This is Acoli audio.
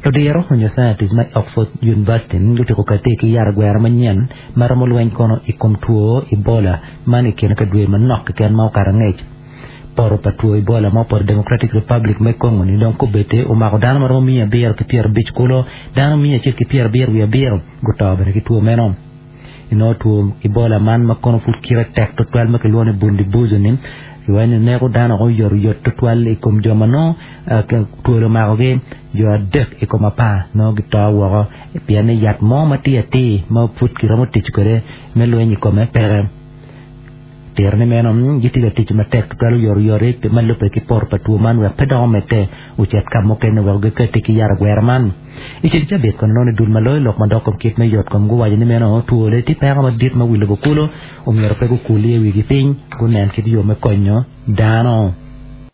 Ludiro onyo scientist ma i Oxford University gutyeko kati ki yat agwera manyen ma romo lweny kono i kom two Ebola man i kine ka dwe manok keken ma okato angec. Poto pa two Ebola ma opoto i Democratic Republic me Congo ni dong kobedde omako dano ma romo 750 kulu, dano 177 guto bene ki two meno. Inongo two Ebola man ma kono pud kite tek tutwal ma kilwongo ni Bundibugyo-ni, kiwaco ni neko dano woko oyotoyot tutwal i kom jo ma nongo twol omakogi, jo adek i kom apar nongo gito woko pien ni yat mo ma tye atir ma pud kiromo tic kwede me lweny i kome peke. Tiro ni meno gitye ka tic matek tutwal oyotoyot ma lubbe ki poto pa two man wek pe dok omedde ocit ka mukene wek gikati ki yat agwera man. I ceng cabit kono nongo ni dul ma loyo lok madok kom kit me yot kom guwaco ni meno twole tye peko madit ma wi lobo kulu omyero pe gukul iye wigi piny gunen kit yo me konyo dano.